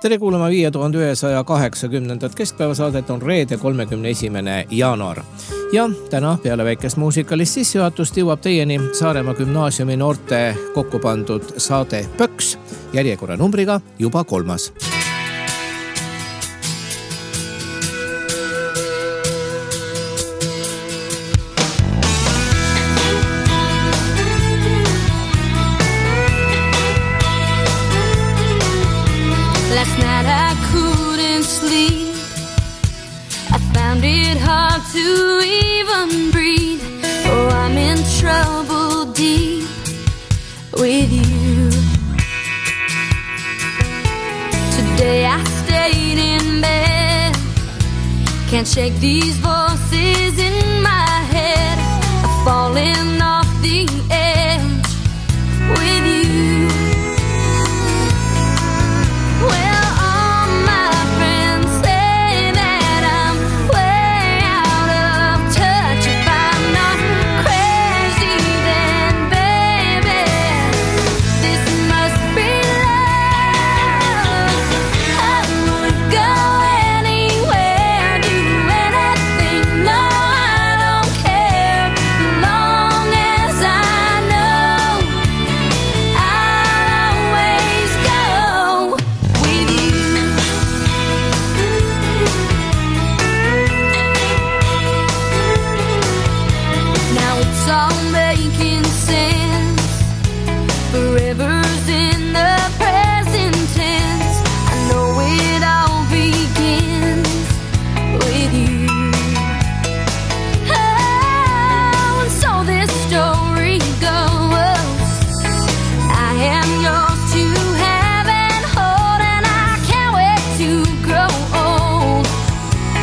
Tere kuulama 5180. keskpäevasaadet on reede 31. jaanuar. Ja täna peale väikest muusikalist sissejuhatust jõuab teieni Saaremaa gümnaasiumi noorte kokku pandud saade Pöks järjekorra numbriga juba 3. Last night I couldn't sleep. I found it hard to even breathe. Oh, I'm in trouble deep with you. Today I stayed in bed. Can't shake these voices in my head. I'm falling off the edge with you. Well, all my friends say that I'm way out of touch. If I'm not crazy, then baby, this must be love. I would go anywhere, do anything, no, I don't care. As long as I know I'll always go with you. Now it's all making sense. Forever's in the present tense. I know it all begins with you. Oh, and so this story goes. I am yours to have and hold, and I can't wait to grow old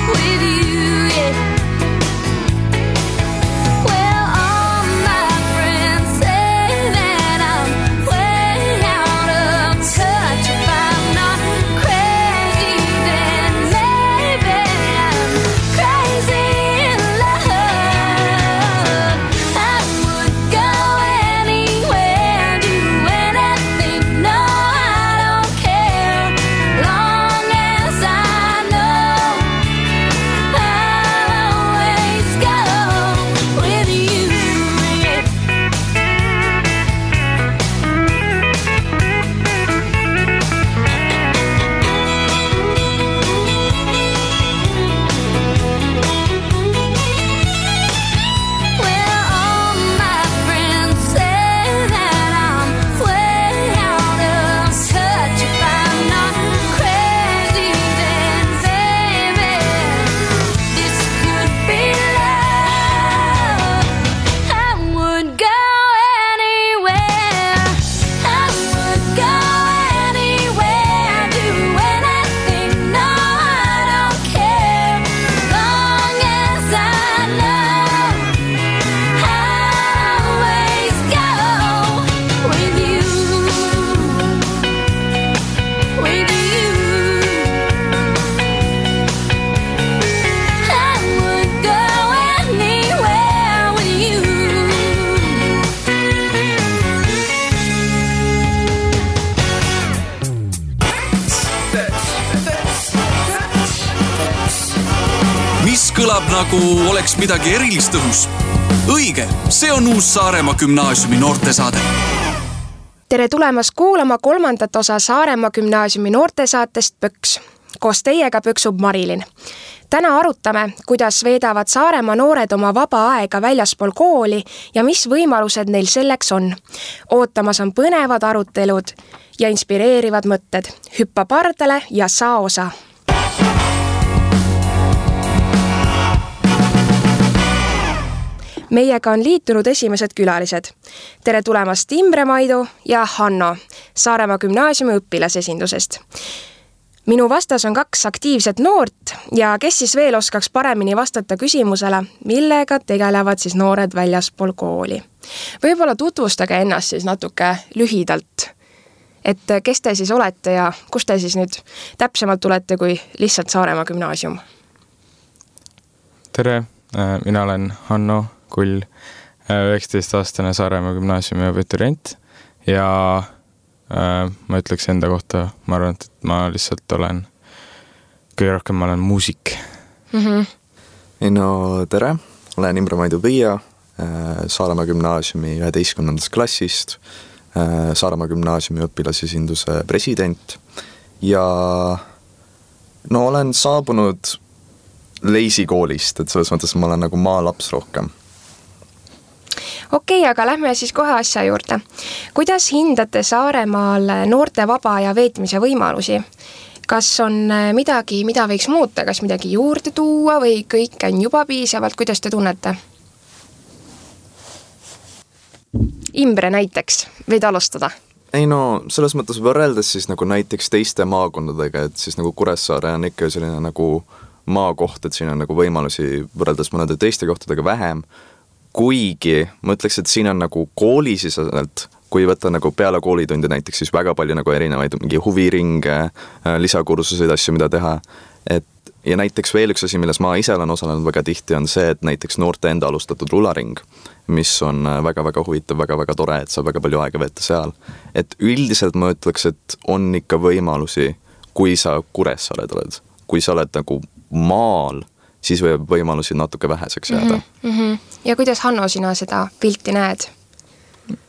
with you, yeah. Well, all my friends say that I'm way out of touch. If I'm not crazy, then maybe I'm crazy in love. I would go anywhere, do anything, no, I don't care. Long as I know I'll always go with you, yeah. Well, all my friends say that I'm way out of touch. If I'm not crazy, then baby, this could be love. I would go anywhere. I would go anywhere, do anything, no, I don't care. Long as I know I'll always go with you, with you. I would go anywhere with you. Mis kõlab nagu oleks midagi erilist õhus? Õige, see on uus Saaremaa gümnaasiumi noortesaade. Tere tulemast kuulama 3. osa Saaremaa gümnaasiumi noortesaatest Pöks. Koos teiega pöksub Marilyn. Täna arutame, kuidas veedavad Saaremaa noored oma vaba aega väljaspool kooli ja mis võimalused neil selleks on. Ootamas on põnevad arutelud ja inspireerivad mõtted. Hüppa pardale ja saa osa. Meiega on liitunud esimesed külalised. Tere tulemast Imre Maidu ja Hanno Saaremaa gümnaasiumi õpilasesindusest. Minu vastas on 2 aktiivset noort ja kes siis veel oskaks paremini vastata küsimusele, millega tegelevad siis noored väljaspool kooli. Võib-olla tutvustage ennast siis natuke lühidalt, et kes te siis olete ja kus te siis nüüd täpsemalt tulete kui lihtsalt Saaremaa gümnaasium? Tere, mina olen Hanno Kull, 19-aastane Saaremaa gümnaasiumi abiturient ja ma ütleks enda kohta, ma arvan, et ma lihtsalt olen, kõige rohkem ma olen muusik. No tere, olen Imre Maidu Põia, Saaremaa gümnaasiumi 11. klassist, Saaremaa gümnaasiumi õpilasesinduse president ja no olen saabunud Leisi koolist, et selles mõttes ma olen nagu maalaps rohkem. Okei, aga lähme siis kohe asja juurde. Kuidas hindate Saaremaal noorte vaba ja veetmise võimalusi? Kas on midagi, mida võiks muuta, kas midagi juurde tuua või kõik on juba piisavalt, kuidas te tunnete? Imre näiteks, võid alustada? Ei no, selles mõttes võrreldes siis nagu näiteks teiste maakondadega, et siis nagu Kuressaare on ikka selline nagu maakoht, et siin on nagu võimalusi võrreldes mõnede teiste kohtadega vähem, kuigi ma ütleks, et siin on nagu koolisiselt, kui võtta nagu peale koolitunde näiteks, siis väga palju nagu erinevaid mingi huviringe, lisakursuseid, asju, mida teha. Ja näiteks veel üks asi, milles ma ise olen osalenud väga tihti, on see, et näiteks noorte enda alustatud rularing, mis on väga-väga huvitav, väga-väga tore, et saab väga palju aega veeta seal. Et üldiselt ma ütleks, et on ikka võimalusi, kui sa Kuressaared oled. Kui sa oled nagu maal, siis võib võimalusi natuke väheseks jääda. Ja kuidas, Hanno, sina seda pilti näed?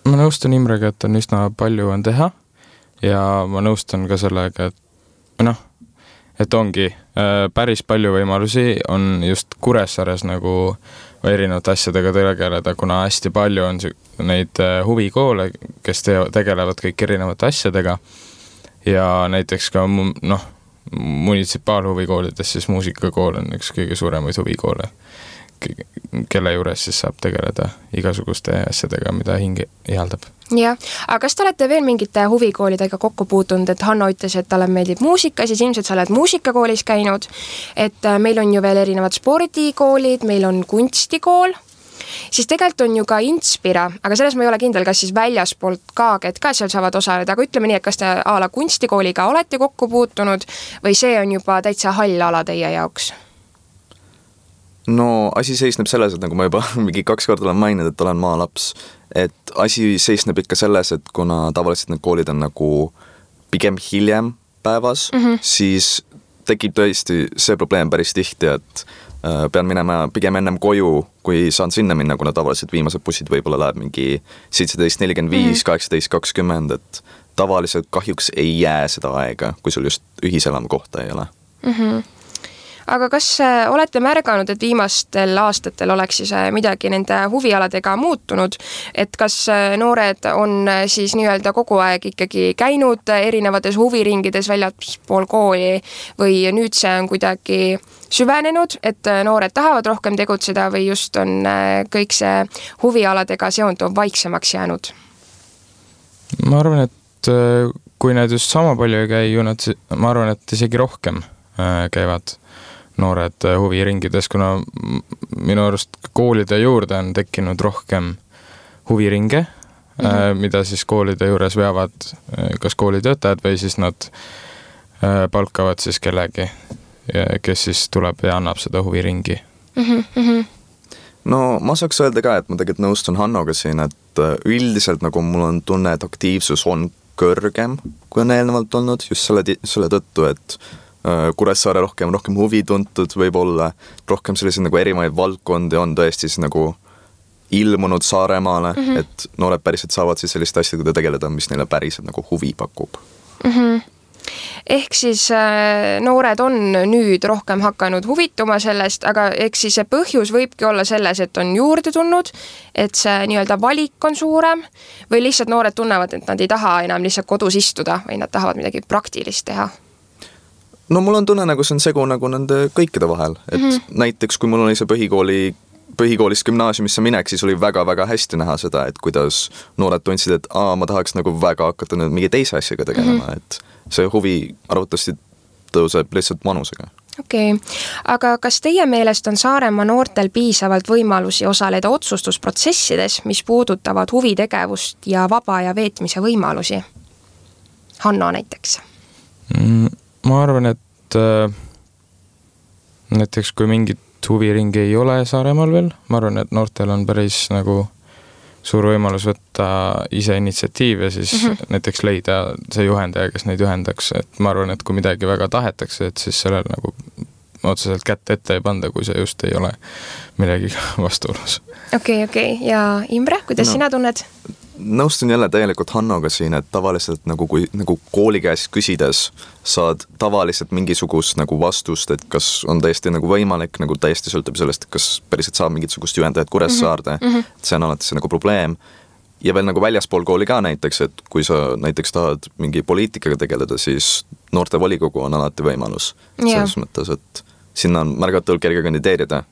Ma nõustun Imrega, et on üsna palju on teha ja ma nõustun ka sellega, et ongi päris palju võimalusi on just Kuressaares nagu erinevate asjadega tegeleda, kuna hästi palju on neid huvikoole, kes tegelevad kõik erinevate asjadega ja näiteks ka munitsipaalhuvikoolides siis muusikakool on üks kõige suuremaid huvikoole, kelle juures siis saab tegeleda igasuguste asjadega, mida hing ihaldab. Jah, aga kas te olete veel mingite huvikoolidega kokku puutunud, et Hanno ütles, et talle meeldib muusika, siis ilmselt sa oled muusikakoolis käinud, et meil on ju veel erinevad spordikoolid, meil on kunstikool, siis tegelikult on ju ka Inspira, aga selles ma ei ole kindel, kas siis väljaspoolt ka, et ka seal saavad osaleda, aga ütleme nii, et kas te ala kunstikooliga olete kokku puutunud või see on juba täitsa hall ala teie jaoks? No asi seisneb selles, et nagu ma juba mingi 2 korda olen maininud, et olen maalaps, et asi seisneb ikka selles, et kuna tavaliselt need koolid on nagu pigem hiljem päevas, siis tekib tõesti see probleem päris tihti, et pean minema pigem ennem koju, kui saan sinna minna, kuna tavaliselt viimased bussid võib-olla läheb mingi 17.45, 18.20, et tavaliselt kahjuks ei jää seda aega, kui sul just ühiselamu kohta ei ole. Aga kas olete märganud, et viimastel aastatel oleks siis midagi nende huvialadega muutunud, et kas noored on siis nii-öelda kogu aeg ikkagi käinud erinevates huviringides väljaspool kooli või nüüd see on kuidagi süvenenud, et noored tahavad rohkem tegutseda või just on kõik see huvialadega seonduv vaiksemaks jäänud? Ma arvan, et kui need just sama palju ei käi, ma arvan, et isegi rohkem käivad noored huviringides, kuna minu arust koolide juurde on tekkinud rohkem huviringe, mida siis koolide juures veavad kas koolitöötajad või siis nad palkavad siis kellegi, kes siis tuleb ja annab seda huviringi. No ma saaks öelda ka, et ma tegelikult nõustun Hannoga siin, et üldiselt nagu mul on tunne, et aktiivsus on kõrgem, kui on eelnevalt olnud, just selle tõttu, et Kuressaare rohkem huvi tuntud võib-olla, rohkem selliseid nagu erinevaid valdkondi on tõesti siis nagu ilmunud Saaremaale, et noored päriselt saavad siis selliste asjadega tegeleda, mis neile päriselt nagu huvi pakub. Ehk siis noored on nüüd rohkem hakanud huvituma sellest, aga eks siis see põhjus võibki olla selles, et on juurde tulnud, et see nii-öelda valik on suurem või lihtsalt noored tunnevad, et nad ei taha enam lihtsalt kodus istuda või nad tahavad midagi praktilist teha? No mul on tunne, nagu see on segu nagu nende kõikide vahel, et näiteks kui mul oli see põhikoolist gümnaasiumisse minek, siis oli väga-väga hästi näha seda, et kuidas noored tundsid, et ma tahaks nagu väga hakata nüüd mingi teise asjaga tegelema, et see huvi arvatavasti tõuseb lihtsalt vanusega. Okei, aga kas teie meelest on Saaremaa noortel piisavalt võimalusi osaleda otsustusprotsessides, mis puudutavad huvitegevust ja vaba ja veetmise võimalusi? Hanno näiteks. Ma arvan, et näiteks kui mingit huviringi ei ole Saaremaal veel, ma arvan, et noortel on päris nagu suur võimalus võtta ise initsiatiiv ja siis näiteks leida see juhendaja, kes neid juhendaks, et ma arvan, et kui midagi väga tahetakse, et siis sellel nagu otseselt kätt ette ei panda, kui see just ei ole millegi vastuolus. Okei. Ja Imre, kuidas sina tunned? Nõustun jälle täielikult Hannoga siin, et tavaliselt kui kooli käest küsides saad tavaliselt mingisugust nagu vastust, et kas on täiesti nagu võimalik, nagu täiesti sõltub sellest, kas päriselt saab mingisugust juhendajat Kuressaarde, see on alati see nagu probleem. Ja veel nagu väljaspool kooli ka näiteks, et kui sa näiteks tahad mingi poliitikaga tegeleda, siis noorte volikogu on alati võimalus. Selles mõttes, et sinna on märgatavalt kerge kandideerida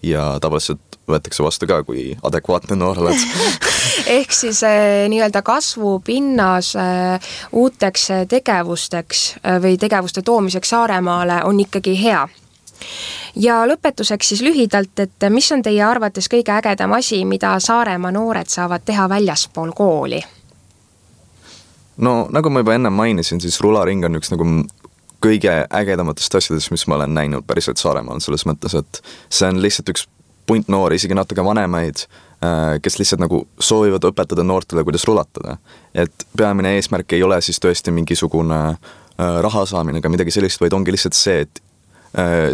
ja tavaliselt võetakse vastu ka, kui adekvaatne noor oled. Ehk siis nii-öelda kasvupinnas uuteks tegevusteks või tegevuste toomiseks Saaremaale on ikkagi hea. Ja lõpetuseks siis lühidalt, et mis on teie arvates kõige ägedam asi, mida Saaremaa noored saavad teha väljaspool kooli? No nagu ma juba enne mainisin, siis rularing on üks nagu kõige ägedamatest asjadest, mis ma olen näinud päriselt Saaremaal selles mõttes, et see on lihtsalt üks punt noori, isegi natuke vanemaid, kes lihtsalt nagu soovivad õpetada noortele, kuidas rulatada. Et peamine eesmärk ei ole siis tõesti mingisugune raha saamine ega midagi sellist, vaid ongi lihtsalt see, et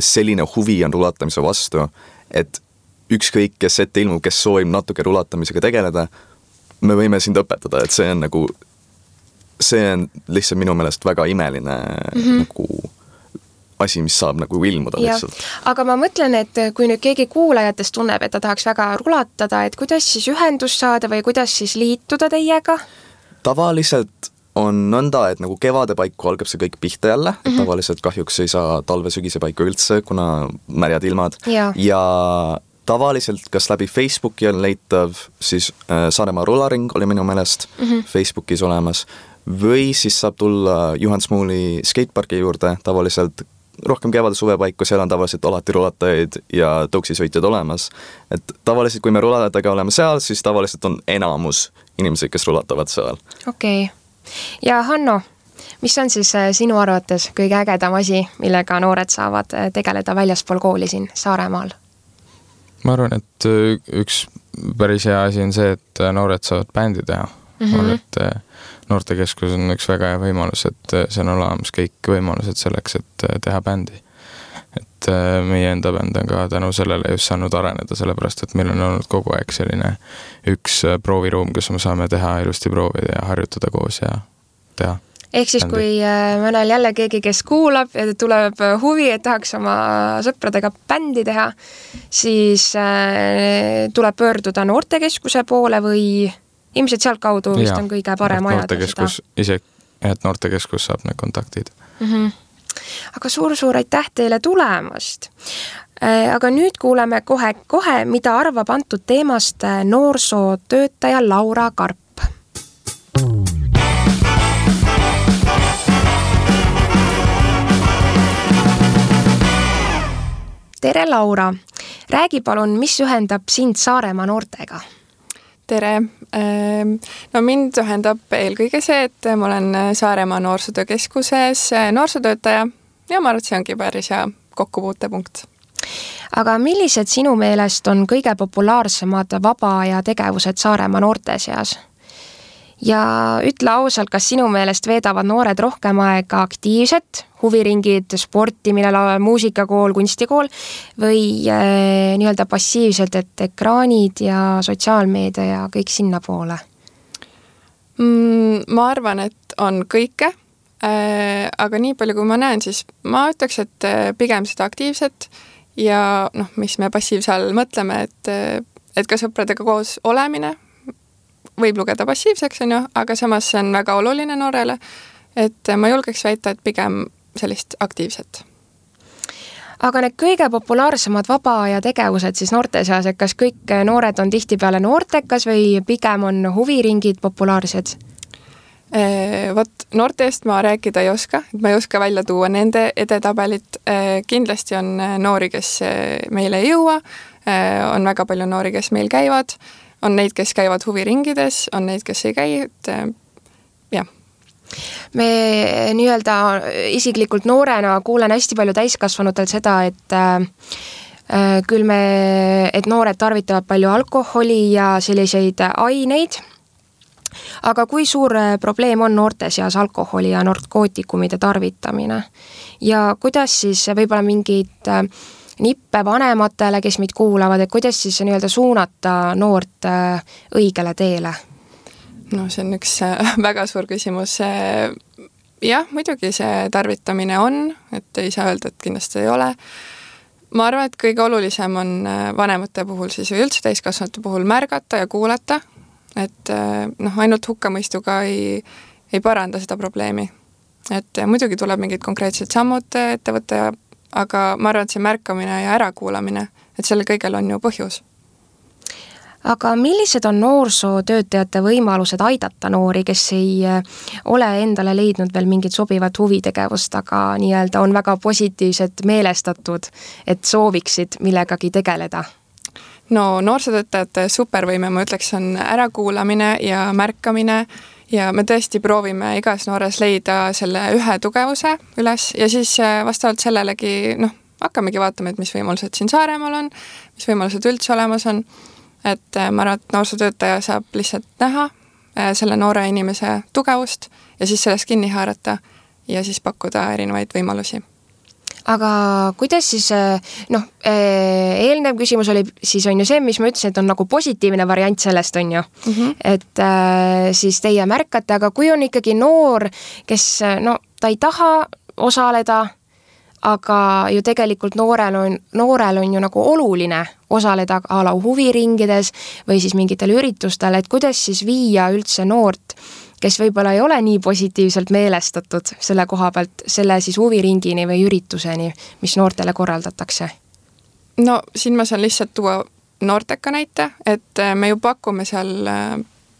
selline huvi on rulatamise vastu, et ükskõik, kes ette ilmub, kes soovib natuke rulatamisega tegeleda, me võime sind õpetada, et see on lihtsalt minu meelest väga imeline nagu asi, mis saab nagu ilmuda lihtsalt. Aga ma mõtlen, et kui nüüd keegi kuulajatest tunneb, et ta tahaks väga rulatada, et kuidas siis ühendust saada või kuidas siis liituda teiega? Tavaliselt on nõnda, et nagu kevade paiku algab see kõik pihta jälle, et tavaliselt kahjuks ei saa talve-sügise paiku üldse, kuna märjad ilmad. Ja tavaliselt kas läbi Facebooki on leitav, siis Saaremaa rularing oli minu meelest Facebookis olemas, või siis saab tulla Juhan Smuuli skateparki juurde tavaliselt rohkem kevade suve paiku, seal on tavaliselt alati rulatajaid ja tõuksisõitjad olemas. Et tavaliselt, kui me rulatadega oleme seal, siis tavaliselt on enamus inimesed, kes rulatavad seal. Okei. Ja Hanno, mis on siis sinu arvates kõige ägedam asi, millega noored saavad tegeleda väljaspool kooli siin Saaremaal? Ma arvan, et üks päris hea asi on see, et noored saavad bändi teha. Ma arvan, et noortekeskus on üks väga hea võimalus, et see on olemas kõik võimalused selleks, et teha bändi. Et meie enda bänd on ka tänu sellele just saanud areneda, sellepärast, et meil on olnud kogu aeg selline üks prooviruum, kus me saame teha ilusti proovida ja harjutada koos ja teha. Ehk siis, kui mõnel jälle keegi, kes kuulab ja tuleb huvi, et tahaks oma sõpradega bändi teha, siis tuleb pöörduda noortekeskuse poole või ilmselt sealt kaudu vist on kõige parem ajada seda. Et noortekeskus saab need kontaktid. Aga suur aitäh teile tulemast. Aga nüüd kuuleme kohe, mida arvab antud teemast noorsootöötaja Laura Karp. Tere, Laura! Räägi palun, mis ühendab sind Saaremaa noortega? Tere! No mind ühendab eelkõige see, et ma olen Saaremaa noorsootöökeskuses noorsootöötaja ja ma arvan, et see ongi päris hea kokkupuutepunkt. Aga millised sinu meelest on kõige populaarsemad vaba- ja tegevused Saaremaa noorte seas? Ja ütle ausalt, kas sinu meelest veedavad noored rohkem aega aktiivset, huviringid, sportimine, muusikakool, kunstikool või nii-öelda passiivselt, et ekraanid ja sotsiaalmeedia ja kõik sinna poole? Ma arvan, et on kõike, aga nii palju kui ma näen, siis ma ütleks, et pigem seda aktiivset ja mis me passiivse all mõtleme, et ka sõpradega koos olemine võib lugeda passiivseks, aga samas see on väga oluline noorele, et ma julgeks väita, et pigem sellist aktiivset. Aga need kõige populaarsemad vaba- ja tegevused siis noorte seas, et kas kõik noored on tihtipeale noortekas või pigem on huviringid populaarsed? Noorte eest ma rääkida ei oska, et ma ei oska välja tuua nende edetabelit. Kindlasti on noori, kes meile ei jõua, on väga palju noori, kes meil käivad, on neid, kes käivad huviringides, on neid, kes ei käi, et jah. Me nii-öelda isiklikult noorena kuulen hästi palju täiskasvanutel seda, et küll et noored tarvitavad palju alkoholi ja selliseid aineid, aga kui suur probleem on noorte seas alkoholi ja narkootikumide tarvitamine ja kuidas siis võib-olla mingid nippe vanematele, kes meid kuulavad, et kuidas siis nii-öelda suunata noort õigele teele? No see on üks väga suur küsimus. Jah, muidugi see tarvitamine on, et ei saa öelda, et kindlasti ei ole. Ma arvan, et kõige olulisem on vanemate puhul siis või üldse täiskasvanute puhul märgata ja kuulata, et ainult hukkamõistuga ei paranda seda probleemi. Et muidugi tuleb mingid konkreetsed sammud ette võtta, aga ma arvan, et see märkamine ja ärakuulamine, et sellel kõigel on ju põhjus. Aga millised on noorsootöötajate võimalused aidata noori, kes ei ole endale leidnud veel mingit sobivat huvitegevust, aga nii-öelda on väga positiivselt meelestatud, et sooviksid millegagi tegeleda? No noorsootöötajate supervõime, ma ütleks, on ärakuulamine ja märkamine ja me tõesti proovime igas noores leida selle ühe tugevuse üles ja siis vastavalt sellelegi hakkamegi vaatama, et mis võimalused siin Saaremaal on, mis võimalused üldse olemas on. Et ma arvan, et noorsootöötaja saab lihtsalt näha selle noore inimese tugevust ja siis sellest kinni haarata ja siis pakkuda erinevaid võimalusi. Aga kuidas siis, eelnev küsimus oli siis on ju see, mis ma ütlesin, et on nagu positiivne variant sellest on ju, et siis teie märkate, aga kui on ikkagi noor, kes ta ei taha osaleda, aga ju tegelikult noorel on ju nagu oluline osaleda a la huviringides või siis mingitel üritustel, et kuidas siis viia üldse noort, kes võib-olla ei ole nii positiivselt meelestatud selle koha pealt, selle siis huviringini või ürituseni, mis noortele korraldatakse? No siin ma saan lihtsalt tuua noorteka näite, et me ju pakume seal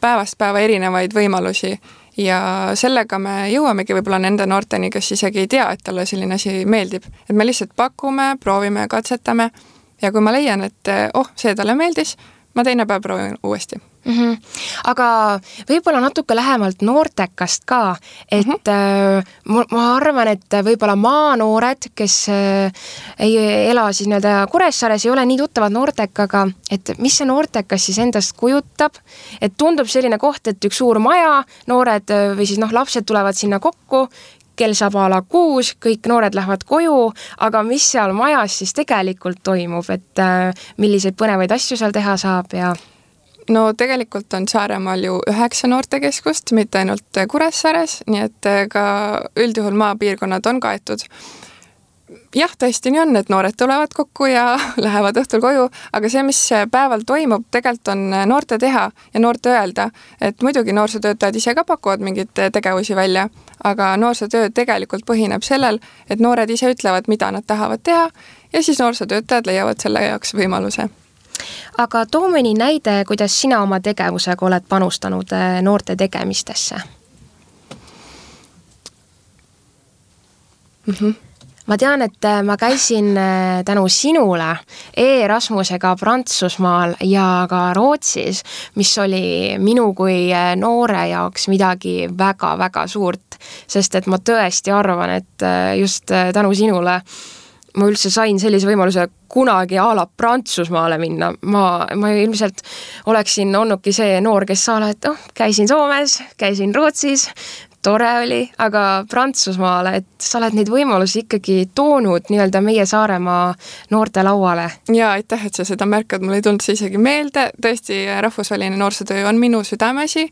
päevast päeva erinevaid võimalusi ja sellega me jõuamegi võib-olla nende noorteni, kes isegi ei tea, et talle selline asi meeldib. Et me lihtsalt pakume, proovime, katsetame ja kui ma leian, et see talle meeldis, ma teine päev proovin uuesti. Aga võib-olla natuke lähemalt noortekast ka, et ma arvan, et võib-olla maanoored, kes ei ela siis nii-öelda Kuressaares, ei ole nii tuttavad noortekaga, et mis see noortekas siis endast kujutab, et tundub selline koht, et üks suur maja, noored või siis lapsed tulevad sinna kokku, kell saab a la 6, kõik noored lähevad koju, aga mis seal majas siis tegelikult toimub, et milliseid põnevaid asju seal teha saab ja... No tegelikult on Saaremaal ju 9 noortekeskust, mitte ainult Kuressaares, nii et ka üldjuhul maapiirkonnad on kaetud. Jah, tõesti nii on, et noored tulevad kokku ja lähevad õhtul koju, aga see, mis päeval toimub, tegelikult on noorte teha ja noorte öelda, et muidugi noorsootöötajad ise ka pakuvad mingid tegevusi välja, aga noorsootöö tegelikult põhineb sellel, et noored ise ütlevad, mida nad tahavad teha ja siis noorsootöötajad leiavad selle jaoks võimaluse. Aga too mõni näide, kuidas sina oma tegevusega oled panustanud noorte tegemistesse? Ma tean, et ma käisin tänu sinule Erasmusega Prantsusmaal ja ka Rootsis, mis oli minu kui noore jaoks midagi väga-väga suurt, sest et ma tõesti arvan, et just tänu sinule ma üldse sain sellise võimaluse kunagi a la Prantsusmaale minna. Ma ilmselt oleksin olnudki see noor, kes sa oled, käisin Soomes, käisin Rootsis, tore oli, aga Prantsusmaale, et sa oled neid võimalusi ikkagi toonud nii-öelda meie Saaremaa noorte lauale. Ja aitäh, et sa seda märkad, mul ei tulnud see isegi meelde. Tõesti, rahvusvaheline noorsootöö on minu südamesi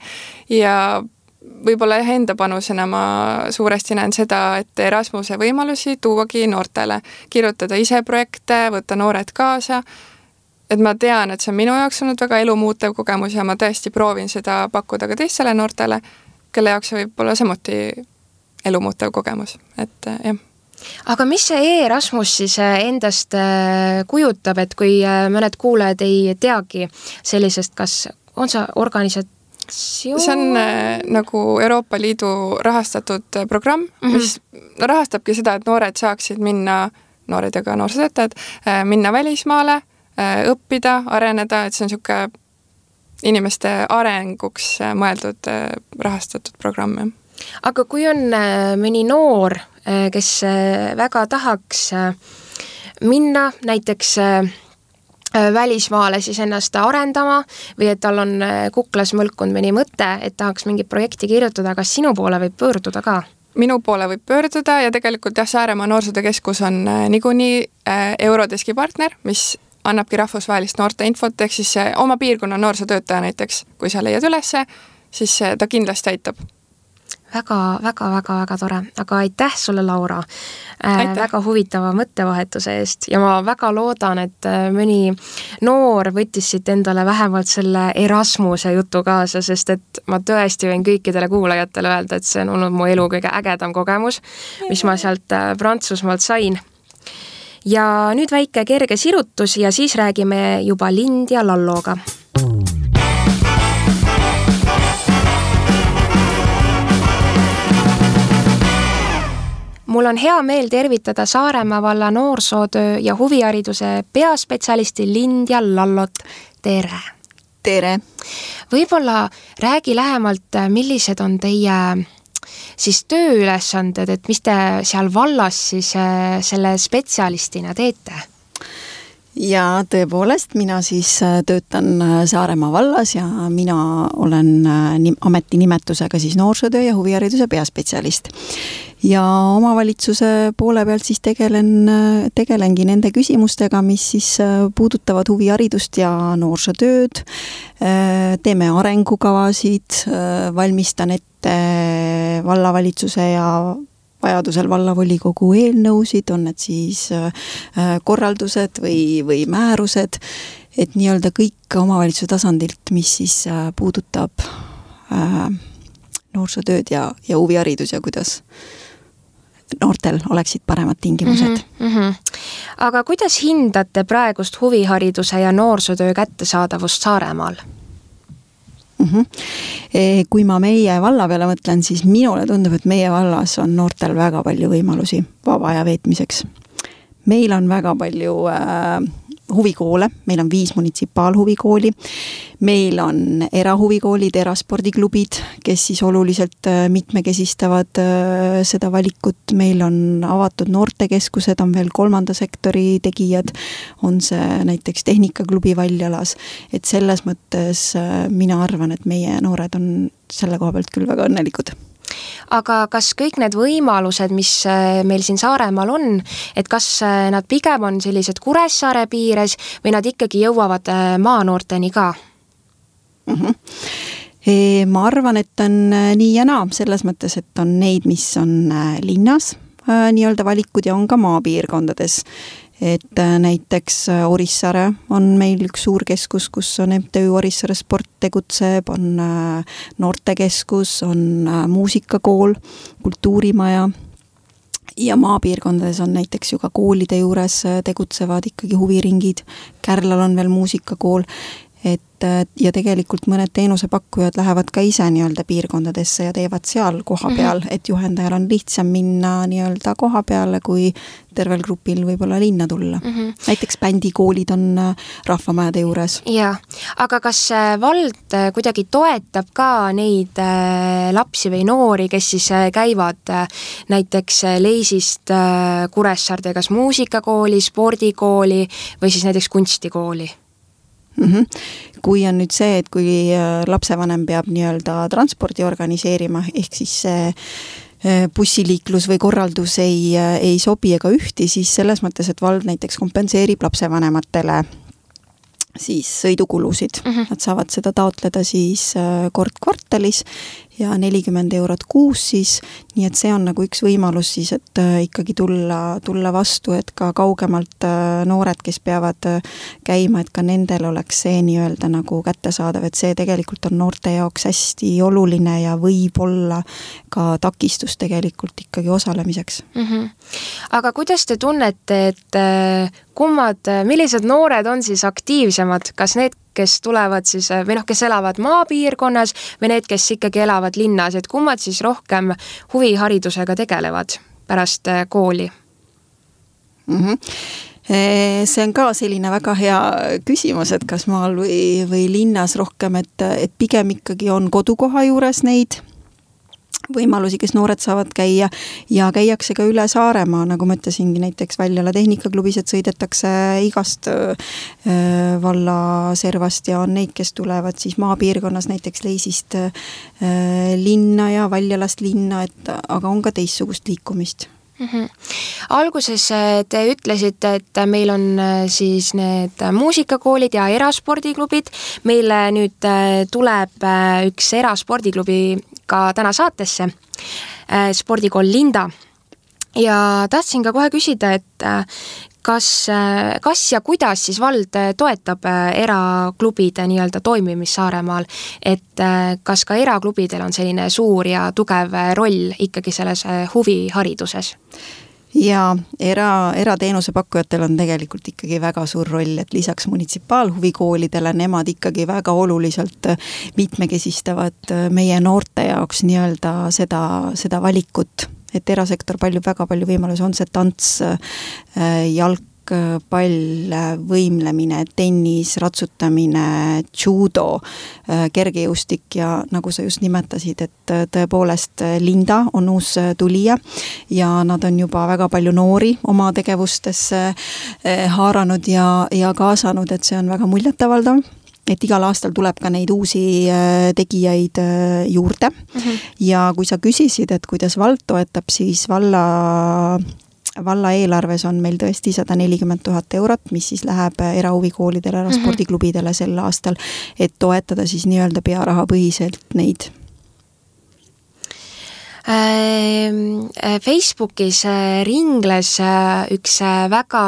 ja võib-olla enda panusena ma suuresti näen seda, et Erasmuse võimalusi tuuagi noortele, kirjutada ise projekte, võtta noored kaasa, et ma tean, et see on minu jaoks olnud väga elumuutev kogemus ja ma tõesti proovin seda pakkuda ka teistele noortele, kelle jaoks võib olla samuti elumuutev kogemus, et jah. Aga mis see Erasmus siis endast kujutab, et kui mõned kuulajad ei teagi sellisest, kas on see organisatsioon? See on nagu Euroopa Liidu rahastatud programm, mis rahastabki seda, et noored saaksid minna, noored ja ka noorsootöötajad, minna välismaale, õppida, areneda, et see on niisugune inimeste arenguks mõeldud rahastatud programm. Aga kui on mõni noor, kes väga tahaks minna näiteks välismaale siis ennast arendama või et tal on kuklas mõlkunud mõni mõte, et tahaks mingit projekti kirjutada, kas sinu poole võib pöörduda ka? Minu poole võib pöörduda ja tegelikult Saaremaa Noorsootöökeskus on niikuinii Eurodeski partner, mis annabki rahvusvahelist noorte infot, ehk siis oma piirkonna noorsootöötaja näiteks, kui sa leiad ülesse, siis ta kindlasti aitab. Väga tore, aga aitäh sulle, Laura, väga huvitava mõttevahetuse eest ja ma väga loodan, et mõni noor võttis siit endale vähemalt selle Erasmuse jutu kaasa, sest et ma tõesti võin kõikidele kuulajatele öelda, et see on olnud mu elu kõige ägedam kogemus, mis ma sealt Prantsusmaalt sain. Ja nüüd väike kerge sirutus ja siis räägime juba Lind ja Lalloga. Mul on hea meel tervitada Saaremaa valla noorsootöö ja huvihariduse peaspetsialisti Lind ja Lallot. Tere! Tere! Võib-olla räägi lähemalt, millised on teie siis tööülesanded, et mis te seal vallas siis selle spetsialistina teete? Ja tõepoolest, mina siis töötan Saaremaa vallas ja mina olen ametinimetusega siis noorsootöö ja huvihariduse peaspetsialist. Ja omavalitsuse poole pealt siis tegelengi nende küsimustega, mis siis puudutavad huviharidust ja noorsootööd. Teeme arengukavasid, valmistan ette vallavalitsuse ja vajadusel vallavolikogu eelnõusid, on need siis korraldused või määrused, et nii-öelda kõik omavalitsuse tasandilt, mis siis puudutab noorsootööd ja huviharidus ja kuidas noortel oleksid paremad tingimused. Aga kuidas hindate praegust huvihariduse ja noorsootöö kättesaadavust Saaremaal? Kui ma meie valla peale mõtlen, siis minule tundub, et meie vallas on noortel väga palju võimalusi vaba aja veetmiseks. Meil on väga palju huvikoole, meil on 5 munitsipaalhuvikooli, meil on erahuvikoolid, eraspordiklubid, kes siis oluliselt mitmekesistavad seda valikut, meil on avatud noortekeskused, on veel 3. sektori tegijad, on see näiteks tehnikaklubi Valjalas, et selles mõttes mina arvan, et meie noored on selle koha pealt küll väga õnnelikud. Aga kas kõik need võimalused, mis meil siin Saaremaal on, et kas nad pigem on sellised Kuressaare piires või nad ikkagi jõuavad maanoorteni ka? Ma arvan, et on nii ja naa, selles mõttes, et on neid, mis on linnas nii-öelda valikud ja on ka maapiirkondades. Et näiteks Orissaare on meil üks suur keskus, kus on MTÜ Orissaare sport tegutseb, on noortekeskus, on muusikakool, kultuurimaja ja maapiirkondades on näiteks ju ka koolide juures tegutsevad ikkagi huviringid, Kärlal on veel muusikakool, ja tegelikult mõned teenusepakkujad lähevad ka ise nii-öelda piirkondadesse ja teevad seal koha peal, et juhendajal on lihtsam minna nii-öelda koha peale, kui tervel grupil võib-olla linna tulla. Näiteks bändikoolid on rahvamajade juures. Ja, aga kas vald kuidagi toetab ka neid lapsi või noori, kes siis käivad näiteks Leisist Kuressaarde kas muusikakooli, spordikooli või siis näiteks kunstikooli? Kui on nüüd see, et kui lapsevanem peab nii-öelda transpordi organiseerima, ehk siis see bussiliiklus või korraldus ei sobi ega ühti, siis selles mõttes, et vald näiteks kompenseerib lapsevanematele siis sõidukulusid. Nad saavad seda taotleda siis kord kvartalis ja 40 eurot kuus siis, nii et see on nagu üks võimalus siis, et ikkagi tulla vastu, et ka kaugemalt noored, kes peavad käima, et ka nendel oleks see nii-öelda nagu kättesaadav, et see tegelikult on noorte jaoks hästi oluline ja võib olla ka takistus tegelikult ikkagi osalemiseks. Aga kuidas te tunnete, et millised noored on siis aktiivsemad, kas need, kes tulevad siis, või kes elavad maapiirkonnas või need, kes ikkagi elavad linnas, et kummad siis rohkem huviharidusega tegelevad pärast kooli? See on ka selline väga hea küsimus, et kas maal või linnas rohkem, et pigem ikkagi on kodukoha juures neid võimalusi, kes noored saavad käia ja käiakse ka üle Saaremaa, nagu ma ütlesingi, näiteks Väljala Tehnikaklubis, et sõidetakse igast valla servast ja on neid, kes tulevad siis maapiirkonnas näiteks Leisist linna ja Väljalast linna, aga on ka teistsugust liikumist. Alguses te ütlesite, et meil on siis need muusikakoolid ja eraspordiklubid. Meile nüüd tuleb üks eraspordiklubi ka täna saatesse, spordikool Linda. Ja tahtsin ka kohe küsida, et kas ja kuidas siis vald toetab eraklubide nii-öelda toimimist Saaremaal, et kas ka eraklubidel on selline suur ja tugev roll ikkagi selles huvihariduses? Ja erateenuse pakkujatel on tegelikult ikkagi väga suur roll, et lisaks munitsipaalhuvikoolidele nemad ikkagi väga oluliselt mitmekesistavad meie noorte jaoks nii-öelda seda valikut, et erasektor väga palju võimalusi, on see tants, jalgpall, võimlemine, tennis, ratsutamine, judo, kergejõustik ja nagu sa just nimetasid, et tõepoolest Linda on uus tulija ja nad on juba väga palju noori oma tegevustesse haaranud ja kaasanud, et see on väga muljetavaldav. Et igal aastal tuleb ka neid uusi tegijaid juurde ja kui sa küsisid, et kuidas vald toetab, siis valla eelarves on meil tõesti 140 000 eurot, mis siis läheb erahuvikoolidele, eraspordiklubidele sel aastal, et toetada siis nii-öelda pearahapõhiselt neid. Facebookis ringles üks väga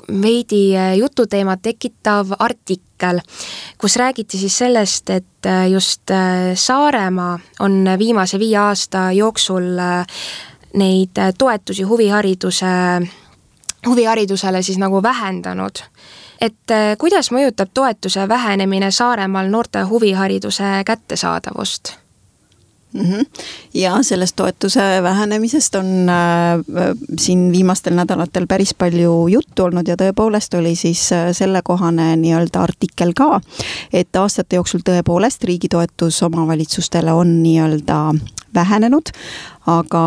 veidi jututeemat tekitav artikkel, kus räägiti siis sellest, et just Saaremaa on viimase 5 aasta jooksul neid toetusi huviharidusele siis nagu vähendanud. Et kuidas mõjutab toetuse vähenemine Saaremaal noorte huvihariduse kättesaadavust? Ja sellest toetuse vähenemisest on siin viimastel nädalatel päris palju juttu olnud ja tõepoolest oli siis sellekohane nii-öelda artikkel ka, et aastate jooksul tõepoolest riigi toetus omavalitsustele on nii-öelda vähenenud, aga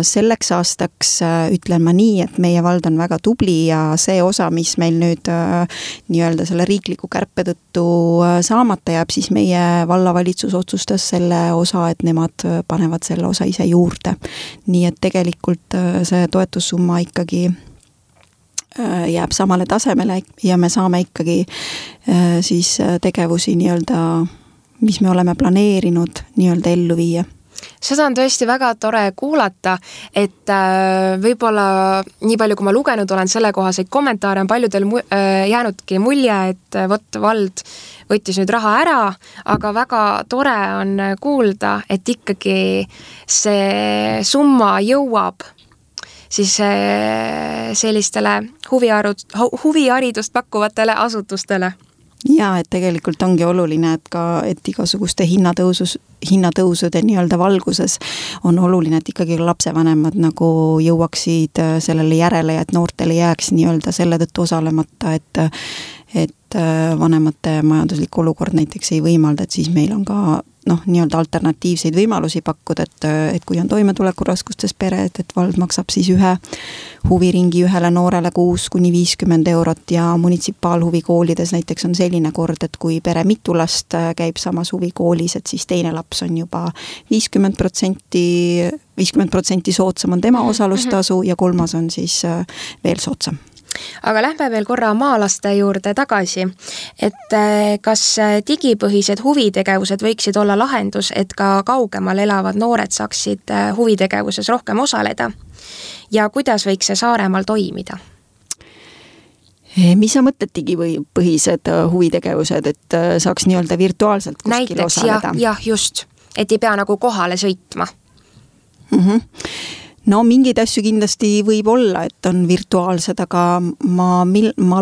selleks aastaks ütlen ma nii, et meie vald on väga tubli ja see osa, mis meil nüüd nii-öelda selle riikliku kärpe tõttu saamata jääb, siis meie vallavalitsus otsustas selle osa, et nemad panevad selle osa ise juurde. Nii et tegelikult see toetussumma ikkagi jääb samale tasemele ja me saame ikkagi siis tegevusi nii-öelda, mis me oleme planeerinud nii-öelda ellu viia. Seda on tõesti väga tore kuulata, et võib-olla nii palju, kui ma lugenud olen sellekohaseid kommentaare, on paljudel jäänudki mulje, et vot vald võttis nüüd raha ära, aga väga tore on kuulda, et ikkagi see summa jõuab siis sellistele huviharidust pakkuvatele asutustele. Ja, et tegelikult ongi oluline, et igasuguste hinnatõusude nii-öelda valguses on oluline, et ikkagi lapsevanemad nagu jõuaksid sellele järele ja et noortele jääks nii-öelda selle tõttu osalemata, et vanemate majanduslik olukord näiteks ei võimalda, et siis meil on ka nii-öelda alternatiivseid võimalusi pakkuda, et kui on toimetulekuraskustes pered, et vald maksab siis ühe huviringi ühele noorele kuus kuni 50 eurot ja munitsipaalhuvikoolides näiteks on selline kord, et kui pere mitu last käib samas huvikoolis, et siis teine laps on juba 50% soodsam on tema osalustasu ja kolmas on siis veel soodsam. Aga lähme veel korra maalaste juurde tagasi, et kas digipõhised huvitegevused võiksid olla lahendus, et ka kaugemal elavad noored saaksid huvitegevuses rohkem osaleda? Ja kuidas võiks see Saaremaal toimida? Mis sa mõtled digipõhised huvitegevused, et saaks nii-öelda virtuaalselt kuskil osaleda? Jah, just, et ei pea nagu kohale sõitma. No mingeid asju kindlasti võib olla, et on virtuaalsed, aga ma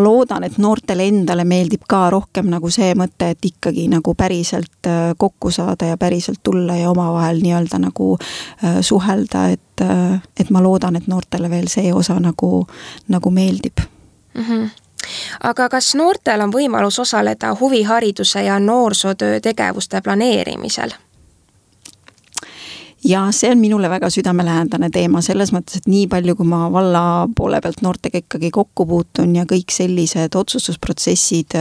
loodan, et noortele endale meeldib ka rohkem nagu see mõte, et ikkagi nagu päriselt kokku saada ja päriselt tulla ja omavahel nii-öelda nagu suhelda, et ma loodan, et noortele veel see osa nagu meeldib. Aga kas noortel on võimalus osaleda huvihariduse ja noorsootöö tegevuste planeerimisel? ja see on minule väga südamelähendane teema selles mõttes, et nii palju, kui ma valla poole pealt noortega ikkagi kokku puutun ja kõik sellised otsustusprotsessid,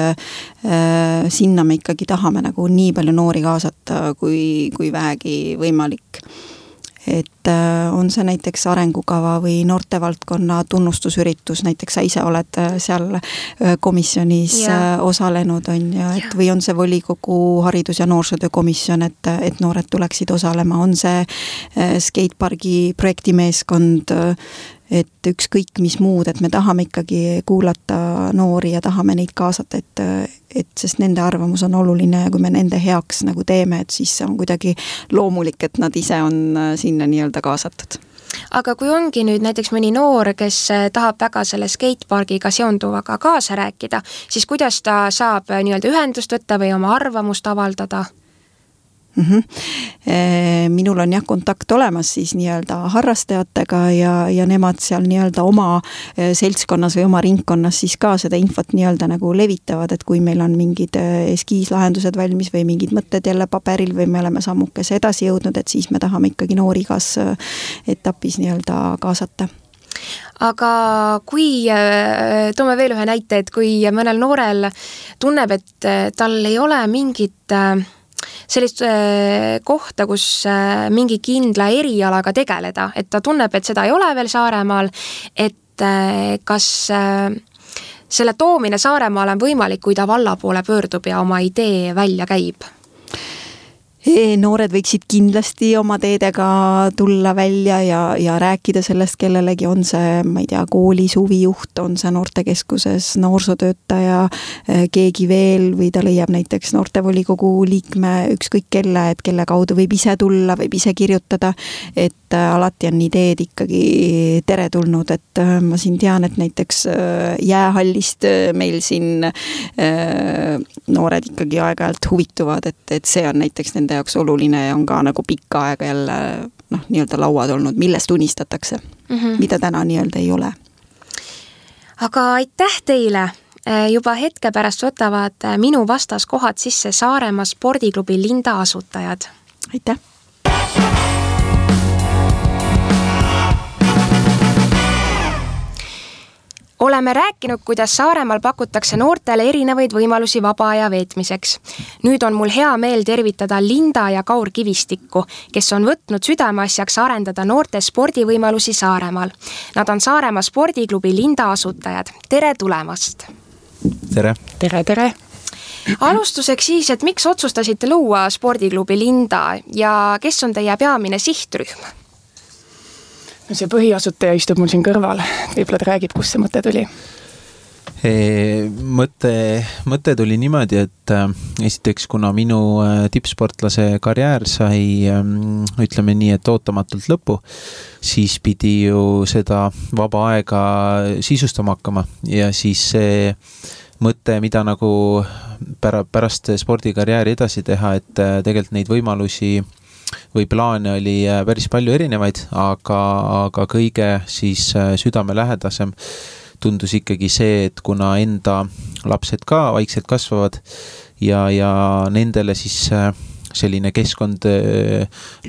sinna me ikkagi tahame nagu nii palju noori kaasata, kui vähegi võimalik. Et on see näiteks arengukava või noortevaldkonna tunnustusüritus, näiteks sa ise oled seal komisjonis osalenud, on ja, et või on see volikogu haridus- ja noorsootöökomisjon, et noored tuleksid osalema, on see skatepargi projektimeeskond, et ükskõik mis muud, et me tahame ikkagi kuulata noori ja tahame neid kaasata, et sest nende arvamus on oluline ja kui me nende heaks nagu teeme, et siis on kuidagi loomulik, et nad ise on sinna nii-öelda kaasatud. Aga kui ongi nüüd näiteks mõni noor, kes tahab väga selle skatepargiga seonduvaga kaasa rääkida, siis kuidas ta saab nii-öelda ühendust võtta või oma arvamust avaldada? Minul on kontakt olemas siis nii-öelda harrastajatega ja nemad seal nii-öelda oma seltskonnas või oma ringkonnas siis ka seda infot nii-öelda nagu levitavad, et kui meil on mingid eskiislahendused valmis või mingid mõtted jälle paberil või me oleme sammukese edasi jõudnud, et siis me tahame ikkagi noori igas etapis nii-öelda kaasata. Aga kui, toome veel ühe näite, et kui mõnel noorel tunneb, et tal ei ole mingit sellist kohta, kus mingi kindla erialaga tegeleda, et ta tunneb, et seda ei ole veel Saaremaal, et kas selle toomine Saaremaal on võimalik, kui ta valla poole pöördub ja oma idee välja käib? Noored võiksid kindlasti oma teedega tulla välja ja rääkida sellest kellelegi, on see, ma ei tea, koolis huvijuht, on see noortekeskuses noorsootöötaja, keegi veel või ta leiab näiteks noortevolikogu liikme ükskõik kelle, et kelle kaudu võib ise tulla, võib ise kirjutada, et alati on ideed ikkagi teretulnud, et ma siin tean, et näiteks jäähallist meil siin noored ikkagi aeg-ajalt huvituvad, et see on näiteks nende jaoks oluline ja on ka nagu pikka aega jälle nii-öelda lauad olnud, millest unistatakse, mida täna nii-öelda ei ole. Aga aitäh teile! Juba hetke pärast võtavad minu vastas kohad sisse Saaremaa spordiklubi Linda asutajad. Aitäh! Oleme rääkinud, kuidas Saaremaal pakutakse noortele erinevaid võimalusi vaba aja veetmiseks. Nüüd on mul hea meel tervitada Linda ja Kaur Kivistikku, kes on võtnud südameasjaks arendada noorte spordivõimalusi Saaremaal. Nad on Saaremaa spordiklubi Linda asutajad. Tere tulemast! Tere! Tere, tere! Alustuseks siis, et miks otsustasite luua spordiklubi Linda ja kes on teie peamine sihtrühm? See põhiasutaja istub mul siin kõrval, võib-olla ta räägib, kus see mõte tuli? Mõte tuli niimoodi, et esiteks, kuna minu tippsportlase karjäär sai, ütleme nii, et ootamatult lõpu, siis pidi ju seda vaba aega sisustama hakkama ja siis see mõte, mida nagu pärast spordikarjääri edasi teha, et tegelikult neid võimalusi või plaane oli päris palju erinevaid, aga kõige siis südamelähedasem tundus ikkagi see, et kuna enda lapsed ka vaikselt kasvavad ja nendele siis selline keskkond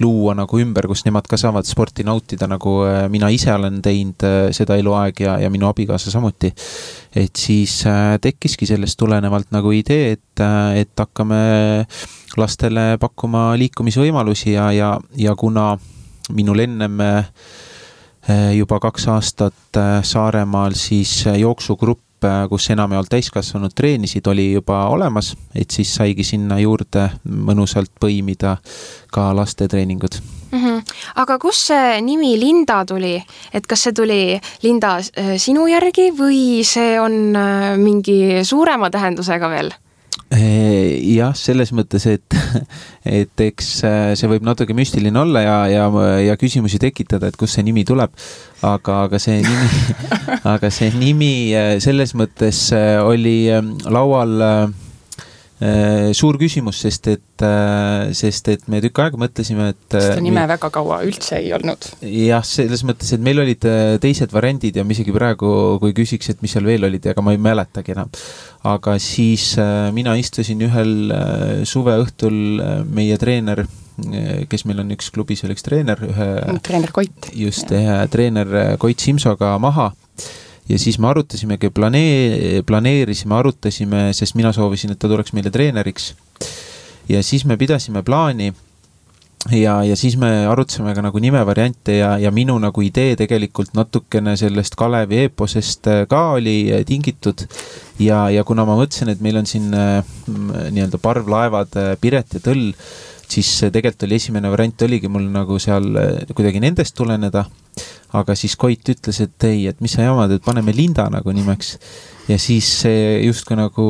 luua nagu ümber, kus nemad ka saavad sporti nautida, nagu mina ise olen teinud seda eluaeg ja minu abikaasa samuti. Et siis tekkiski sellest tulenevalt nagu idee, et hakkame lastele pakkuma liikumisvõimalusi ja kuna minul ennem juba 2 aastat Saaremaal siis jooksugrupp, kus enamjaolt täiskasvanud treenisid, oli juba olemas, et siis saigi sinna juurde mõnusalt põimida ka laste treeningud. Aga kus see nimi Linda tuli? Et kas see tuli Linda sinu järgi või see on mingi suurema tähendusega veel? Jah, selles mõttes, et eks see võib natuke müstiline olla ja küsimusi tekitada, et kust see nimi tuleb, aga see nimi selles mõttes oli laual suur küsimus, sest et me tükk aega mõtlesime, et seda nime väga kaua üldse ei olnud. Jah, selles mõttes, et meil olid teised variandid ja isegi praegu, kui küsiks, et mis seal veel olid, aga ma ei mäletagi enam. Aga siis mina istusin ühel suveõhtul meie treener kes meil on üks klubis veel üks treener, treener Koit. Just, treener Koit Simsoga maha. Ja siis me arutasimegi, arutasime, sest mina soovisin, et ta tuleks meile treeneriks. Ja siis me pidasime plaani ja siis me arutasime ka nagu nimevariante ja minu nagu idee tegelikult natukene sellest Kalevi eeposest ka oli tingitud ja kuna ma mõtlesin, et meil on siin nii-öelda parvlaevad Piret ja Tõll, siis tegelikult oli esimene variant oligi mul nagu seal kuidagi nendest tuleneda, aga siis Koit ütles, et ei, et mis sa jamad, et paneme Linda nagu nimeks ja siis see justkui nagu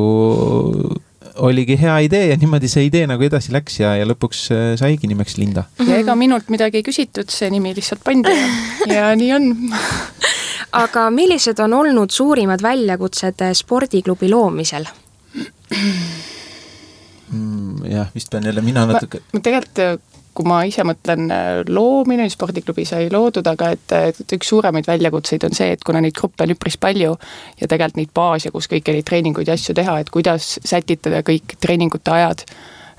oligi hea idee ja niimoodi see idee nagu edasi läks ja lõpuks saigi nimeks Linda. Ja ega minult midagi ei küsitud, see nimi lihtsalt pandi ja nii on. Aga millised on olnud suurimad väljakutsed spordiklubi loomisel? Jah, vist pean jälle mina natuke... Tegelikult, kui ma ise mõtlen loomine, spordiklubi sai loodud, aga et üks suuremaid väljakutseid on see, et kuna neid gruppe on üpris palju ja tegelikult neid baase, kus kõiki neid treeninguid ja asju teha, et kuidas sätitada kõik treeningute ajad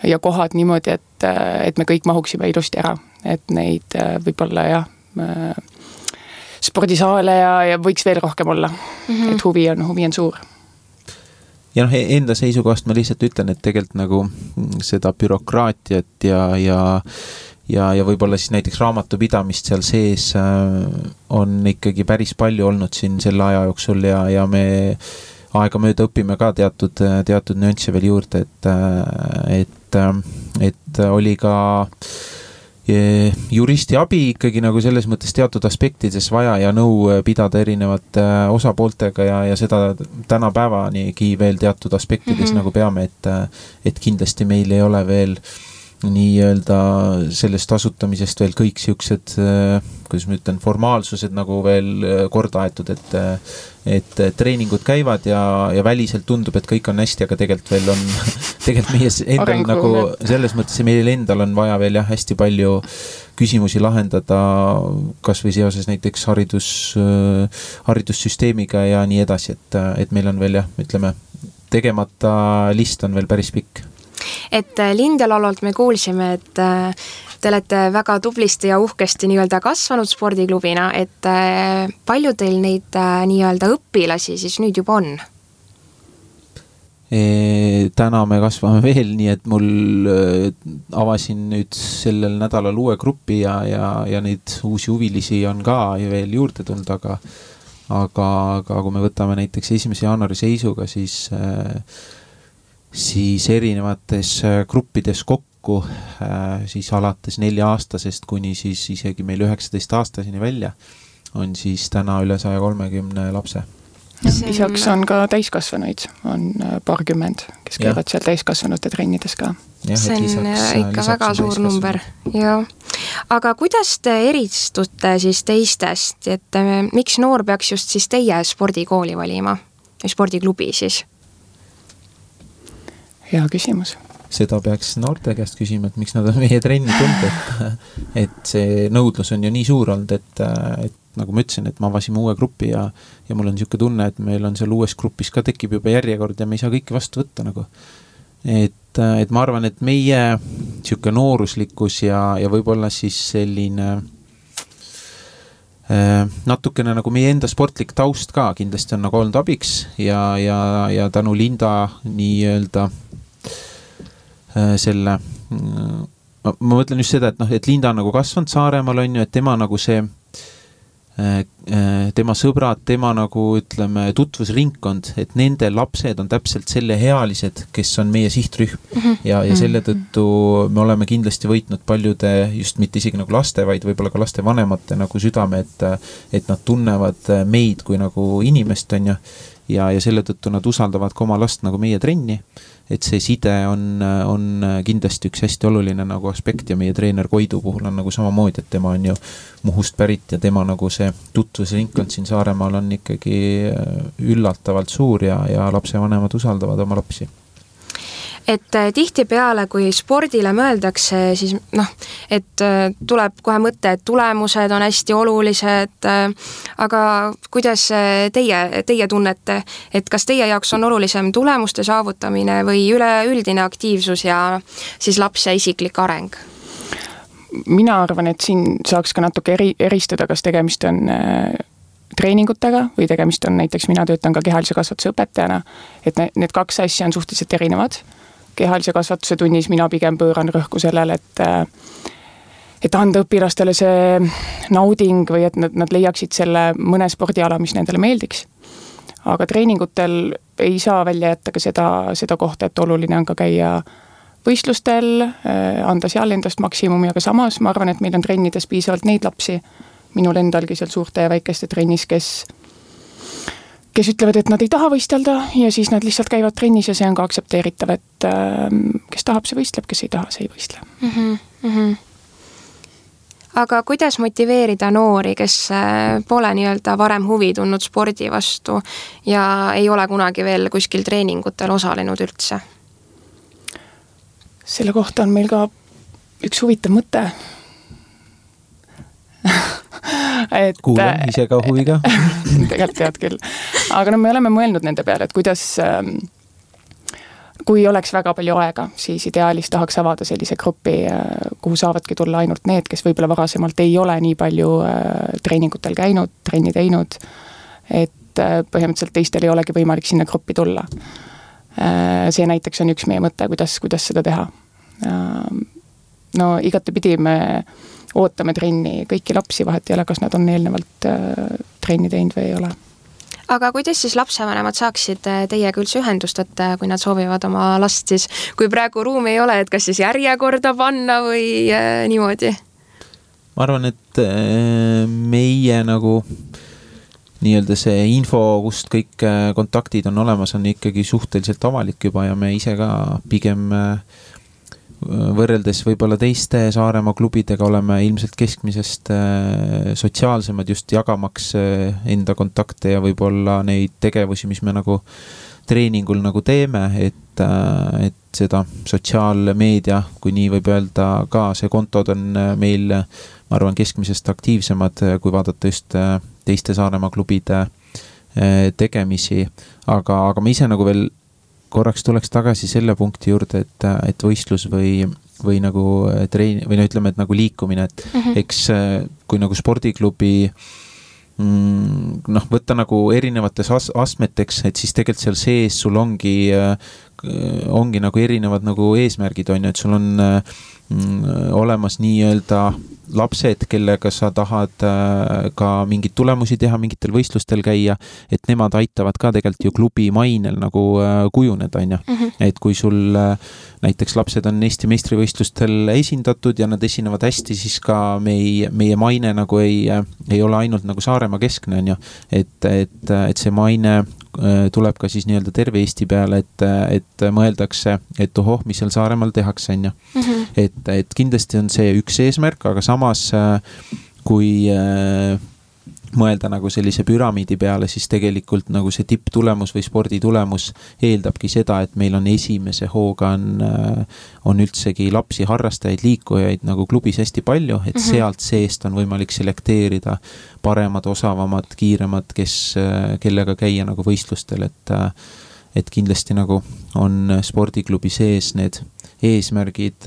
ja kohad niimoodi, et me kõik mahuksime ilusti ära. Et neid võib-olla spordisaale ja võiks veel rohkem olla. Et huvi on suur. Ja enda seisukohast ma lihtsalt ütlen, et tegelikult nagu seda bürokraatiat ja võib-olla siis näiteks raamatupidamist seal sees on ikkagi päris palju olnud siin selle aja jooksul ja me aega mööda õpime ka teatud nüansse veel juurde, et oli ka juristi abi ikkagi nagu selles mõttes teatud aspektides vaja ja nõu pidada erinevate osapooltega ja seda tänapäevanigi veel teatud aspektides nagu peame, et kindlasti meil ei ole veel nii-öelda sellest asutamisest veel kõik siuksed, kuidas ma ütlen, formaalsused nagu veel korda aetud, et treeningud käivad ja väliselt tundub, et kõik on hästi, aga tegelikult veel on tegelikult meie endal nagu selles mõttes meil endal on vaja veel hästi palju küsimusi lahendada, kas või seoses näiteks haridussüsteemiga ja nii edasi, et meil on veel ütleme, tegemata list on veel päris pikk. Et Lindelalolt me kuulsime, et te olete väga tublisti ja uhkesti nii-öelda kasvanud spordiklubina, et palju teil neid nii-öelda õpilasi siis nüüd juba on? Täna me kasvame veel, nii et mul avasin nüüd sellel nädalal uue grupi ja neid uusi huvilisi on ka veel juurde tulnud, aga kui me võtame näiteks 1. jaanuari seisuga, siis erinevates gruppides kokku siis alates 4-aastasest kuni siis isegi meil 19-aastaseni välja on siis täna üle 130 lapse. Lisaks on ka täiskasvanuid, on paarkümmend, kes käivad seal täiskasvanute trennides ka. See on ikka väga suur number. Ja. Aga kuidas te eristute siis teistest, et miks noor peaks just siis teie spordikooli valima, spordiklubi siis? Hea küsimus. Seda peaks noorte käest küsima, et miks nad on meie trenni tulnud, et see nõudlus on ju nii suur olnud, et nagu ma ütlesin, et ma avasime uue grupi ja mul on niisugune tunne, et meil on seal uues grupis ka tekib juba järjekord ja me ei saa kõiki vastu võtta nagu. Et ma arvan, et meie niisugune nooruslikkus ja võib-olla siis selline natukene nagu meie enda sportlik taust ka kindlasti on nagu olnud abiks ja tänu Linda nii-öelda selle, ma mõtlen just seda, et Linda on nagu kasvanud Saaremaal on ju, et tema nagu see tema sõbrad, tema nagu ütleme tutvusringkond, et nende lapsed on täpselt selle healised, kes on meie sihtrühm ja selle tõttu me oleme kindlasti võitnud paljude, just mitte isegi nagu laste, vaid võib-olla ka laste vanemate nagu südame, et nad tunnevad meid kui nagu inimest on ja selle tõttu nad usaldavad ka oma last nagu meie trenni, et see side on kindlasti üks hästi oluline nagu aspekt ja meie treener Koidu puhul on nagu samamoodi, et tema on ju Muhust pärit ja tema nagu see tutvusringkond siin Saaremaal on ikkagi üllatavalt suur ja lapsevanemad usaldavad oma lapsi. Et tihtipeale, kui spordile mõeldakse, siis et tuleb kohe mõte, et tulemused on hästi olulised, aga kuidas teie tunnete, et kas teie jaoks on olulisem tulemuste saavutamine või üleüldine aktiivsus ja siis lapse isiklik areng? mina arvan, et siin saaks ka natuke eristada, kas tegemist on treeningutega või tegemist on näiteks, mina töötan ka kehalise kasvatuse õpetajana, et need kaks asja on suhteliselt erinevad. Kehalise kasvatuse tunnis mina pigem pööran rõhku sellele, et anda õpilastele see nauding või et nad leiaksid selle mõne spordiala, mis nendele meeldiks. Aga treeningutel ei saa välja jätta ka seda kohta, et oluline on ka käia võistlustel, anda seal endast maksimumi, aga samas ma arvan, et meil on trennides piisavalt neid lapsi, minul endalgi seal suurte ja väikeste trennis, kes ütlevad, et nad ei taha võistelda ja siis nad lihtsalt käivad trennis ja see on ka aktsepteeritav, et kes tahab, see võistleb, kes ei taha, see ei võistle. Aga kuidas motiveerida noori, kes pole nii-öelda varem huvi tundnud spordi vastu ja ei ole kunagi veel kuskil treeningutel osalenud üldse? Selle kohta on meil ka üks huvitav mõte. Kuulen ise ka huviga. Tegelikult tead küll. Aga me oleme mõelnud nende peale, et kuidas, kui oleks väga palju aega, siis ideaalis tahaks avada sellise grupi, kuhu saavadki tulla ainult need, kes võib-olla varasemalt ei ole nii palju treeningutel käinud, trenni teinud, et põhimõtteliselt teistel ei olegi võimalik sinna gruppi tulla. See näiteks on üks meie mõte, kuidas seda teha. No igatepidi me ootame trenni kõiki lapsi, vahet ei ole, kas nad on eelnevalt trenni teinud või ei ole. Aga kuidas siis lapsevanemad saaksid teiega üldse ühendust, et kui nad soovivad oma last siis, kui praegu ruumi ei ole, et kas siis järjekorda panna või niimoodi? Ma arvan, et meie nagu nii-öelda see info, kust kõik kontaktid on olemas, on ikkagi suhteliselt avalik juba ja me ise ka pigem võrreldes võib-olla teiste Saaremaa klubidega oleme ilmselt keskmisest sotsiaalsemad just jagamaks enda kontakte ja võib-olla neid tegevusi, mis me nagu treeningul nagu teeme, et seda sotsiaalmeedia, kui nii võib öelda ka, see kontod on meil, ma arvan, keskmisest aktiivsemad, kui vaadata just teiste Saaremaa klubide tegemisi, aga ma ise nagu veel korraks tuleks tagasi selle punkti juurde, et võistlus või nagu või no ütleme, et nagu liikumine, et eks kui nagu spordiklubi võtta nagu erinevates astmeteks, et siis tegelikult seal sees sul ongi nagu erinevad nagu eesmärgid on, et sul on olemas nii-öelda lapsed, kellega sa tahad ka mingeid tulemusi teha, mingitel võistlustel käia, et nemad aitavad ka tegelikult ju klubi mainel nagu kujuneda, on ju. Et kui sul näiteks lapsed on Eesti meistrivõistlustel esindatud ja nad esinevad hästi, siis ka meie maine nagu ei ole ainult nagu Saaremaa keskne, on ju. Et see maine tuleb ka siis nii-öelda terve Eesti peale, et mõeldakse, et ohoh, mis seal Saaremaal tehakse, on ju. Et kindlasti on see üks eesmärk, aga samas kui mõelda nagu sellise püramiidi peale, siis tegelikult nagu see tipptulemus või sporditulemus eeldabki seda, et meil on esimese hooga on üldsegi lapsi, harrastajaid, liikujaid nagu klubis hästi palju, et sealt seest on võimalik selekteerida paremad, osavamad, kiiremad, kellega käia nagu võistlustel, et kindlasti nagu on spordiklubi sees need eesmärgid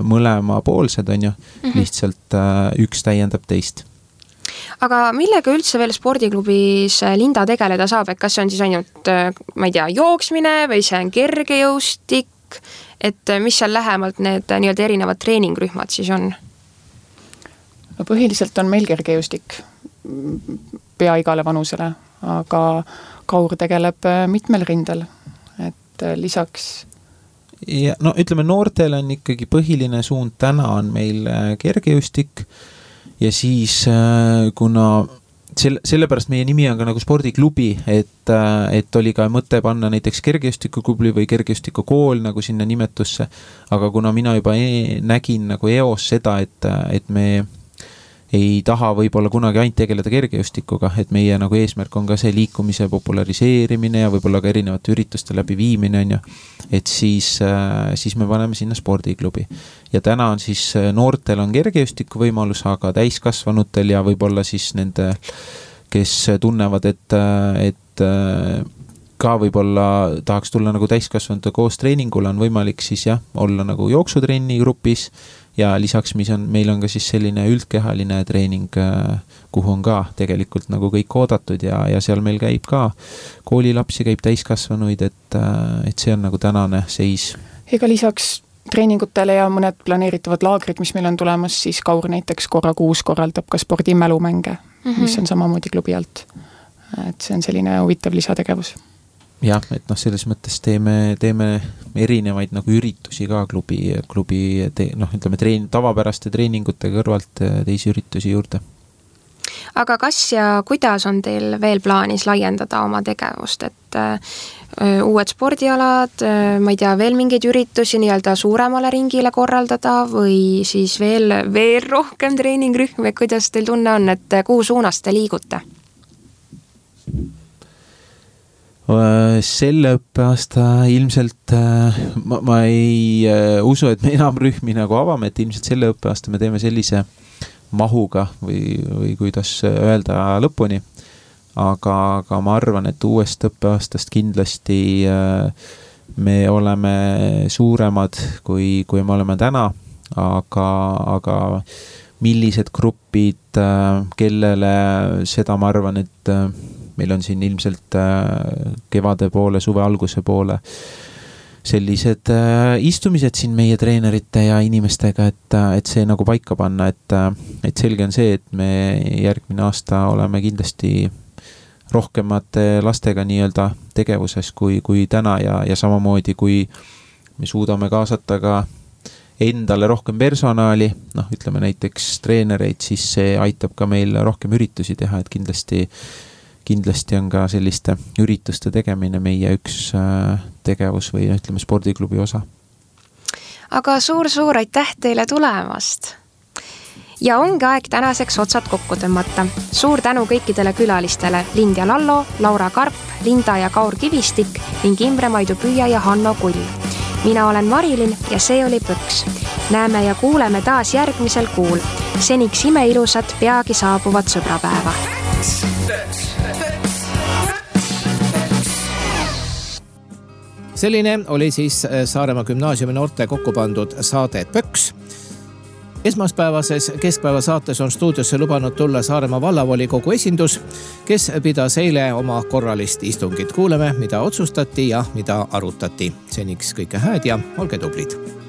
mõlemapoolsed, on ju, lihtsalt üks täiendab teist. Aga millega üldse veel spordiklubis Linda tegeleda saab, et kas see on siis ainult, ma ei tea, jooksmine või see on kergejõustik, et mis seal lähemalt need nii-öelda erinevad treeningrühmad siis on? No põhiliselt on meil kergejõustik pea igale vanusele, aga Kaur tegeleb mitmel rindel, et lisaks ja no ütleme, noortel on ikkagi põhiline suund täna on meil kergejõustik ja siis kuna sellepärast meie nimi on ka nagu spordiklubi, et oli ka mõte panna näiteks kergejõustikuklubi või kergejõustikukool nagu sinna nimetusse, aga kuna mina juba nägin nagu eos seda, et me ei taha võib-olla kunagi ainult tegeleda kergejõustikuga, et meie nagu eesmärk on ka see liikumise populariseerimine ja võib-olla ka erinevate ürituste läbi viimine, on ju, et siis me paneme sinna spordiklubi. Ja täna on siis noortel on kergejõustiku võimalus, aga täiskasvanutel ja võib-olla siis nende, kes tunnevad, et ka võib-olla tahaks tulla nagu täiskasvanute koos treeningule, on võimalik siis jah, olla nagu jooksutrenni grupis ja lisaks meil on ka siis selline üldkehaline treening, kuhu on ka tegelikult nagu kõik oodatud ja seal meil käib ka koolilapsi, käib täiskasvanuid, et see on nagu tänane seis. Ega lisaks treeningutele ja mõned planeeritavad laagrid, mis meil on tulemas, siis Kaur näiteks korra kuus korraldab ka spordimälumänge, mis on samamoodi klubi alt. Et see on selline huvitav lisategevus. Jah, et selles mõttes teeme erinevaid nagu üritusi ka klubi ütleme tavapäraste treeningute kõrvalt teisi üritusi juurde. Aga kas ja kuidas on teil veel plaanis laiendada oma tegevust, et uued spordialad, ma ei tea, veel mingeid üritusi nii-öelda suuremale ringile korraldada või siis veel rohkem treeningrühme, kuidas teil tunne on, et kuhu suunas te liigute? Selle õppeaasta ilmselt ma ei usu, et me enam rühmi nagu avame, et ilmselt selle õppeaasta me teeme sellise mahuga või kuidas öelda lõpuni, aga ma arvan, et uuest õppeaastast kindlasti me oleme suuremad kui me oleme täna, aga millised grupid, kellele seda ma arvan, et meil on siin ilmselt kevade poole, suve alguse poole sellised istumised siin meie treenerite ja inimestega, et see nagu paika panna, et selge on see, et me järgmine aasta oleme kindlasti rohkemate lastega nii-öelda tegevuses kui täna ja samamoodi, kui me suudame kaasata ka endale rohkem personaali, ütleme näiteks treenereid, siis see aitab ka meil rohkem üritusi teha, et kindlasti on ka selliste ürituste tegemine meie üks tegevus või ütleme spordiklubi osa. Aga suur aitäh teile tulemast! Ja ongi aeg tänaseks otsad kokku tõmmata. Suur tänu kõikidele külalistele Lindia Lallo, Laura Karp, Linda ja Kaur Kivistik ning Imre Maidu Püüa ja Hanno Kull. Mina olen Marilin ja see oli Põks. Näeme ja kuuleme taas järgmisel kuul. Seniks imeilusat peagi saabuvat sõbrapäeva. Selline oli siis Saaremaa gümnaasiumi noorte kokku pandud saade Pöks. Esmaspäevases keskpäeva saates on stuudiosse lubanud tulla Saaremaa vallavolikogu esindus, kes pidas eile oma korralist istungit. Kuuleme, mida otsustati ja mida arutati. Seniks kõike hääd ja olge tublid!